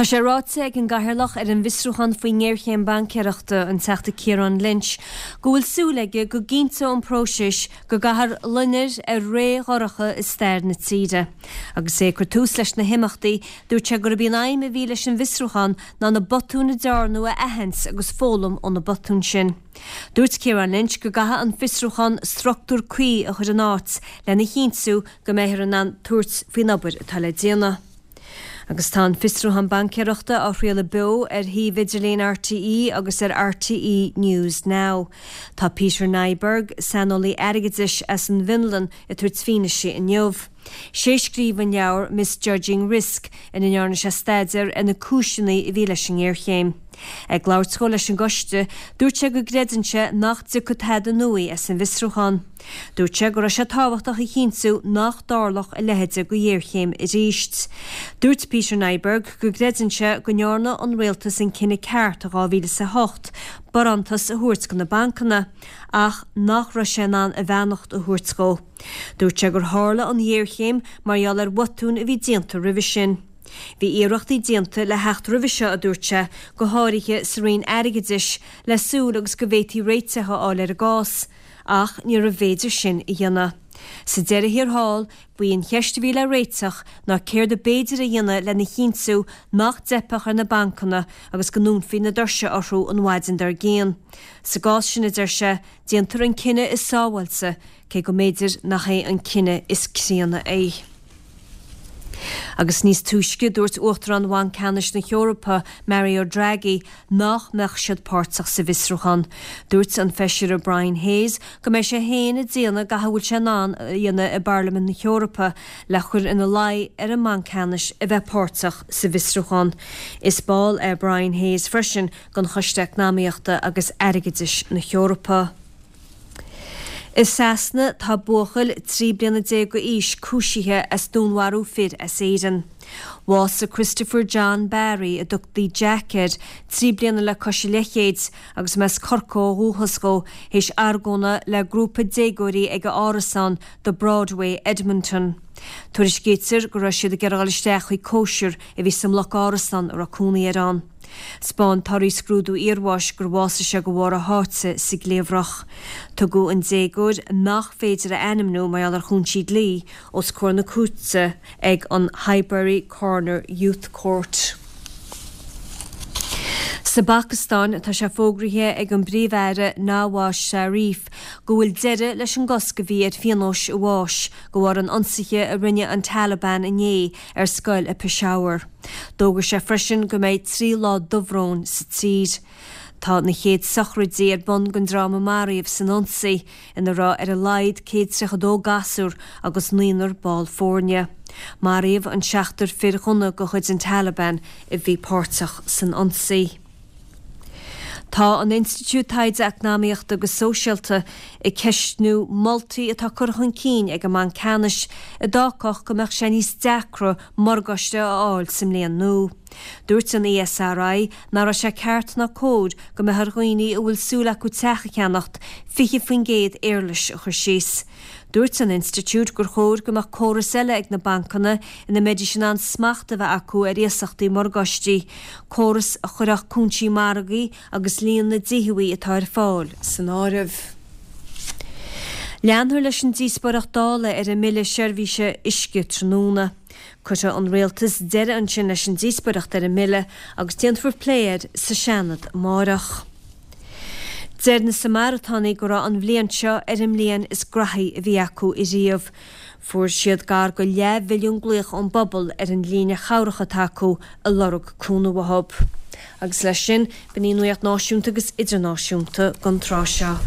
Tá sé ráite ag an gCathaoirleach ar an bhfiosrúchán faoin ngéarchéim baincéireachta, an Teachta Ciarán Lynch, go bhfuil súil aige go gcinnteoidh an próiseas go gcaithfear loinnir ar ré dhorcha i stair na tíre. Agus é ag cur tús leis na himeachtaí, dúirt sé gurb í an aidhm a bhí leis an bhfiosrúchán ná na botúin a dearnadh a aithint agus foghlaim ó na botúin sin. Dúirt Ciarán Lynch go gcaithfidh an fiosrúchán struchtúr cuí a chur in áit lena chinntiú go mbeifear in ann tabhairt faoin obair atá le déanamh. Agus tá an fiosrúchán baincéireachta á chraoladh beo ar shuíomh idirlín RTÉ agus ar RTÉ News Now. Tá Peter Nyberg, saineolaí airgeadais as an bhFionlainn, ag tabhairt fianaise inniu. Sé a scríobh an leabhar Misjudging Risk ina ndearna sé staidéar ar na cúiseanna a bhí leis an ngéarchéim. Ag labhairt dhó leis an gcoiste, dúirt sé go gcreideann sé nach dtiocfaidh tada nua as an bhfiosrúchán. Dúirt sé go raibh sé tábhachtach a chinntiú nach dtarlódh a leithéid de ghéarchéim arís. Dúirt Peter Nyberg go gcreideann sé go ndearna an rialtas an cinneadh ceart i 2008 barántas a thabhairt do na bancanna ach nach raibh sé in ann a bheannacht a thabhairt dhó. Dúirt sé gur tharla an ghéarchéim mar gheall ar bhotúin a bhí déanta roimhe sin. Bhí iarrachtaí déanta le theacht roimhe seo, a dúirt sé, go háirithe sa Roinn Airgeadais, le súil agus go bhféadfaí réiteach a fháil ar an gcás. Ach níorbh fhéidir sin a dhéanamh. Sa deireadh thiar thall, ba í an cheist a bhí le réiteach ná céard ab fhéidir a dhéanamh lena chinntiú nach dteipfeadh ar na bancanna agus go ndúnfaí na doirse orthu an mhaidin dár gcionn. Sa gcás sin, a deir sé, déantar an cinneadh is sábháilte, cé go mb'fhéidir nach é an cinneadh is críonna é. Agus níos túisce, dúirt Uachtarán Bhanc Ceannais na hEorpa, Mario Draghi, nach mbeadh siad páirteach sa bhfiosrúchán. Dúirt an Feisire Brian Hayes go mbeidh sé féin ag déanamh gach a bhfuil sé in ann a dhéanamh i bParlaimint na hEorpa le cur ina luí ar an mBanc Ceannais a bheith páirteach sa bhfiosrúchán. Is ball é Brian Hayes freisin den Choiste Eacnamaíochta agus Airgeadais na hEorpa. I Sasana, tá buachaill 13 bliana d'aois cúisithe as dúnmharú fir as Éirinn. Bhásaigh Christopher John Barry, a dtugtaí Jack air, 3 bliana le cois a leithchéid, agus mb as Corcaigh ó dhúchas dhó, théis argóna le grúpa déagóirí ag a árasán, The Broadway, Edmonton. Tuairiscítear go raibh siad ag iarraidh a dhul isteach chuig cóisir a bhí sa mbloc árasán a raibh cónaí air ann. 'Spáin torthaí scrúdú iarbháis gur bhásaigh sé de bharr a sháite sa gcliabhrach. Tugadh an déagóir, nach féidir a ainmniú mar gheall ar chúinsí dlí, os comhair na cúirte ag an Highbury Corner Youth Court. Sa bPacastáin, tá sé fógraithe ag an bPríomh-Aire Nawaz Sharif go bhfuil deireadh leis an gcosc a bhí ar phionóis an bháis de bharr an ionsaithe a rinne an Taliban inné ar scoil i Peshawar. D'fhógair sé freisin go mbeidh 3 lá dubhróin sa tír. Tá na chéad sochraidí ar bun don dream a maraíodh san ionsaí, ina raibh ar a laghad 132 gasúr agus naonúr ball foirne. Maraíodh an seachtar fir ghunna de chuid an Taliban a bhí páirteach san ionsaí. Tá an Institiúid Taighde Eacnamaíochta agus Sóisialta ag ceistniú moltaí atá curtha chun cinn ag an mBanc Ceannais a d'fhágfadh go mbeadh sé níos deacra morgáiste a fháil sa mbliain nua. Dúirt an ESRI nach raibh sé ceart ná cóir go mbeadh ar dhaoine a bhfuil súil acu teach a cheannacht 20% éarlais a chur síos. Dúirt an institiúid gur chóir go mbeadh córas eile ag na bancanna ina mbeidís in ann smacht a bheith acu ar iasachtaí morgáistí, córas a chuirfeadh cúinsí margaidh agus líon na dtithe atá ar fáil san áireamh. Leanfar leis an díospóireacht Dála ar an mBille Seirbhíse Uisce tráthnóna. Cuirfidh an Rialtas deireadh ansin leis an díospóireacht ar an mbille agus déanfar plé air sa Seanad amárach. Deir na Samaritánaigh go raibh an bhliain seo ar an mbliain is graithí a bhí acu ariamh. Fuair siad gar go leathmhilliún glaoch ón bpobal ar an líne chabhrach atá acu ag lorg cúnamh uathu. Agus leis sin, b'in í an nuacht náisiúnta agus idirnáisiúnta don tráth seo.